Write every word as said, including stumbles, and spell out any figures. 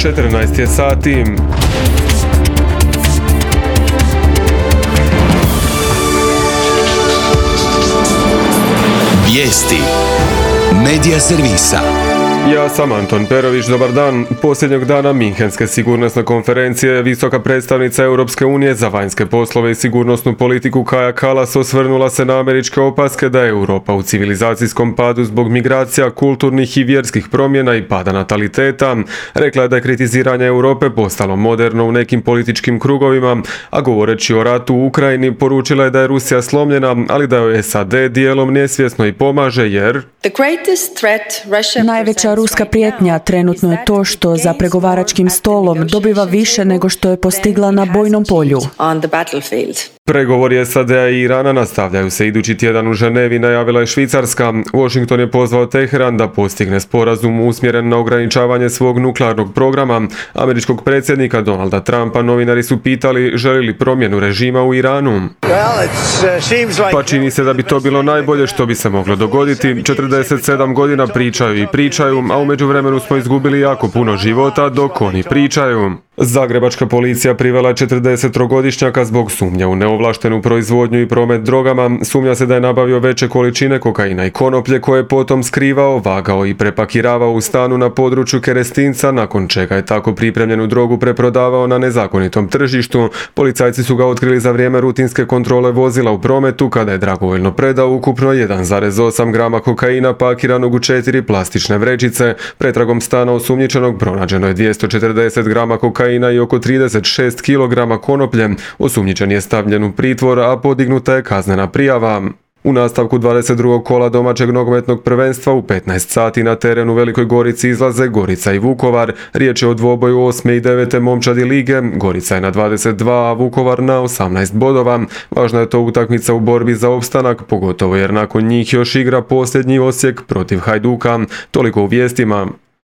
četrnaest je sati. Vijesti Medija servisa. Ja sam Anton Perović, dobar dan. Posljednjeg dana Minhenske sigurnosne konferencije visoka predstavnica Europske unije za vanjske poslove i sigurnosnu politiku Kaja Kallas osvrnula se na američke opaske da je Europa u civilizacijskom padu zbog migracija, kulturnih i vjerskih promjena i pada nataliteta. Rekla je da je kritiziranje Europe postalo moderno u nekim političkim krugovima, a govoreći o ratu u Ukrajini poručila je da je Rusija slomljena, ali da joj S A D dijelom nesvjesno i pomaže jer najveća ruska prijetnja trenutno je to što za pregovaračkim stolom dobiva više nego što je postigla na bojnom polju. Pregovori S A D-a i Irana nastavljaju se idući tjedan u Ženevi, najavila je Švicarska. Washington je pozvao Teheran da postigne sporazum usmjeren na ograničavanje svog nuklearnog programa. Američkog predsjednika Donalda Trumpa novinari su pitali želi li promjenu režima u Iranu. Pa čini se da bi to bilo najbolje što bi se moglo dogoditi. četrdeset sedam godina pričaju i pričaju, a u međuvremenu smo izgubili jako puno života dok oni pričaju. Zagrebačka policija privela je četrdesettrogodišnjaka zbog sumnje u neovlaštenu proizvodnju i promet drogama. Sumnja se da je nabavio veće količine kokaina i konoplje koje je potom skrivao, vagao i prepakiravao u stanu na području Kerestinca, nakon čega je tako pripremljenu drogu preprodavao na nezakonitom tržištu. Policajci su ga otkrili za vrijeme rutinske kontrole vozila u prometu kada je dragovoljno predao ukupno jedan zarez osam grama kokaina pakiranog u četiri plastične vrećice. Pretragom stana osumnjičenog pronađeno je dvjesto četrdeset grama kokaina i oko trideset šest kilograma konoplje. Osumnjičen je stavljen u pritvor, a podignuta je kaznena prijava. U nastavku dvadeset drugog kola domaćeg nogometnog prvenstva u petnaest sati na terenu u Velikoj Gorici izlaze Gorica i Vukovar. Riječ je o dvoboju osme i devete momčadi lige. Gorica je na dvadeset dva, a Vukovar na osamnaest bodova. Važna je to utakmica u borbi za opstanak, pogotovo jer nakon njih još igra posljednji Osijek protiv Hajduka. Toliko u vijestima.